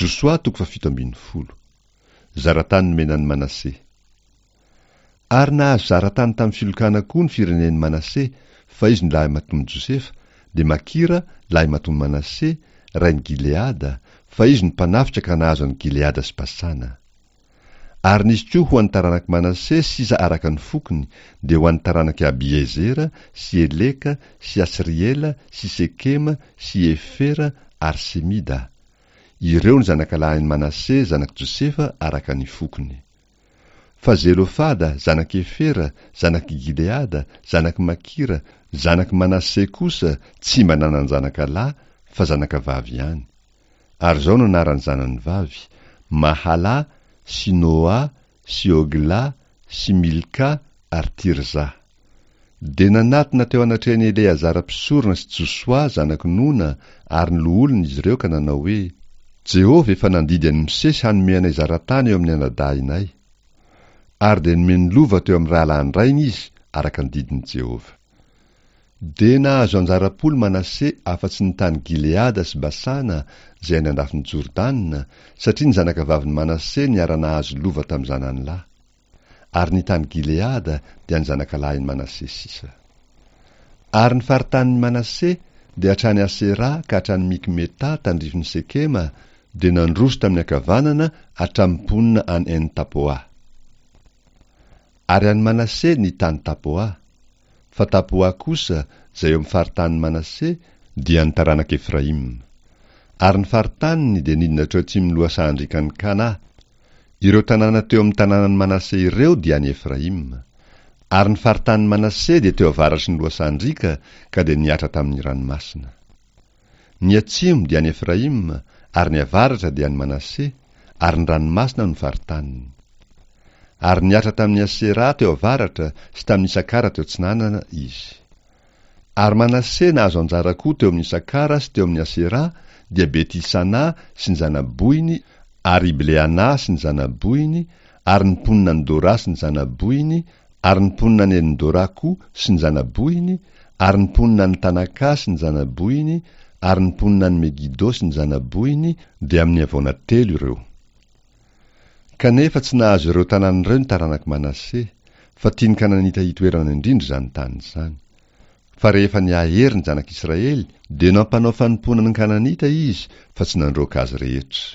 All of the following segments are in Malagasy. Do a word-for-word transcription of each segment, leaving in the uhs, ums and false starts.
Josoa toko fahafito ambin'ny folo. Zaratany nomena an'i Manase. Ary nahazo zaratany tamin'ny filokana koa ny firenen'i Manase, fa izy no lahimatoan'i Josefa, dia Makira, lahimatoan'i Manase, rain'i Gileada, fa izy no mpanafika ka nahazo an'i Gileada sy Basana. Ary nisy koa ho an'ny taranak'i Manase sisa araka ny fokony, dia ho an'ny taranak'i Abiezera sy Eleka sy Asriela sy Sekema sy Hefera ary Semida. Ireo no zanakalahin'i Manase zanak'i Josefa araka ny fokony. Fa Zelofada, zanak'i Hefera, zanak'i Gileada, zanak'i Makira, zanak'i Manase kosa tsy mba nanan-janaka lahy fa zanakavavy ihany. Ary izao no anaran'ny zanany vavy, Mahala sy Noa sy Hogla sy Milka ary Tirza. Dia nanatona teo anatrehan'i Eleazara mpisorona sy Josoa zanak'i Nona ary ny loholona izy ireo ka nanao hoe, Jehovah efa nandidy an'i Mosesy hanome anay zaratany eo amin'ny anadahinay. Ary dia nomeny lova teo amin'ny rahalahin-drainy izy araka ny didin'i Jehovah. Dia nahazo anjara-polo Manase afa-tsy ny tany Gileada sy Basana izay any an-dafin'i Jordana, satria ny zanakavavin'i Manase niara-nahazo lova tamin'ny zanany lahy. Ary ny tany Gileada dia an'ny zanakalahin'i Manase sisa. Ary ny faritanin'i Manase dia hatrany Asera ka hatrany Mikmeta tandrifin'i Sekema, dia nandroso tamin'ny ankavanana hatramin'ny mponina any En-Tapoa. Ary an'i Manase ny tany Tapoa. Fa Tapoa kosa, izay eo amin'ny faritanin'i Manase, dia an'ny taranak'i Efraima. Ary ny faritaniny dia nidina hatreo atsimon'ny lohasahan-driakan'i Kana. Ireo tanàna teo amin'ny tanànan'i Manase ireo dia an'i Efraima. Ary ny faritanin'i Manase dia teo avaratry ny lohasahan-driaka ka dia nihatra tamin'ny ranomasina. Ny atsimo dia an'i Efraima, ary ny avaratra dia an'i Manase, ary ny ranomasina no faritaniny. Ary nihatra tamin'i Asera teo avaratra sy tamin'i Isakara teo atsinanana izy. Ary Manase nahazo anjara koa teo amin'i Isakara sy teo amin'i Asera, dia Beti-Sana sy ny zana-bohiny, ary Ibleana sy ny zana-bohiny, ary ny mponina any Dora sy ny zana-bohiny, ary ny mponina any Endora koa sy ny zana-bohiny, ary ny mponina any Tanaka sy ny zana-bohiny, ary ny mponina any Megido sy ny zana-bohiny, dia amin'ny havoana telo ireo. Kanefa tsy nahazo ireo tanàna ireo ny taranak'i Manase, fa tian'ny Kananita hitoerana indrindra izany tany izany. Fa rehefa nihahery ny zanak'Israely, dia nampanao fanompoana ny Kananita izy, fa tsy nandroaka azy rehetra.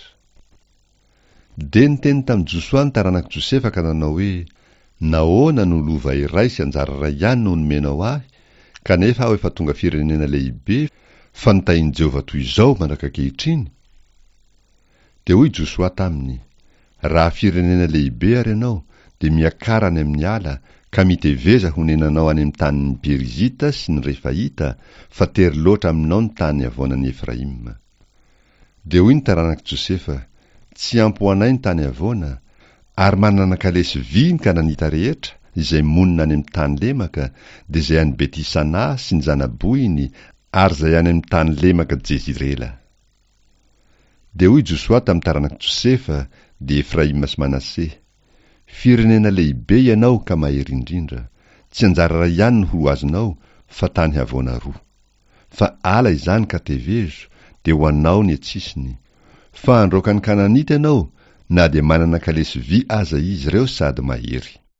Dia niteny tamin'i Josoa ny taranak'i Josefa ka nanao hoe, Nahoana no lova iray sy anjara iray ihany no nomenao ahy, kanefa aho efa tonga firenena lehibe, fa notahin'i Jehovah toy izao mandraka ankehitriny? Dia hoy Josoa taminy, Raha firenena lehibe ary ianao, dia miakara any amin'ny ala, ka miteveza honenanao any amin'ny tanin'ny Perizita sy ny Refaita, fa tery loatra aminao ny tany havoanan'i Efraima. Dia hoy ny taranak'i Josefa, Tsy ampy ho anay ny tany havoana, ary manana kalesy vy ny Kananita rehetra, izay monina any amin'ny tany lemaka, dia izay any Beti-Sana sy ny zana-bohiny, ary izay any amin'ny tany lemaka Jezirela. Dia hoy Josoa tamin'ny taranak'i Josefa, dia Efraima sy Manase, Firenena lehibe ianao ka mahery indrindra, tsy anjara iray ihany no ho azonao, fa tany havoana roa. Fa ala izany ka tevezo, dia ho anao ny an-tsisiny. Fa handroaka ny Kananita ianao, na dia manana kalesy vy aza izy ireo sady mahery.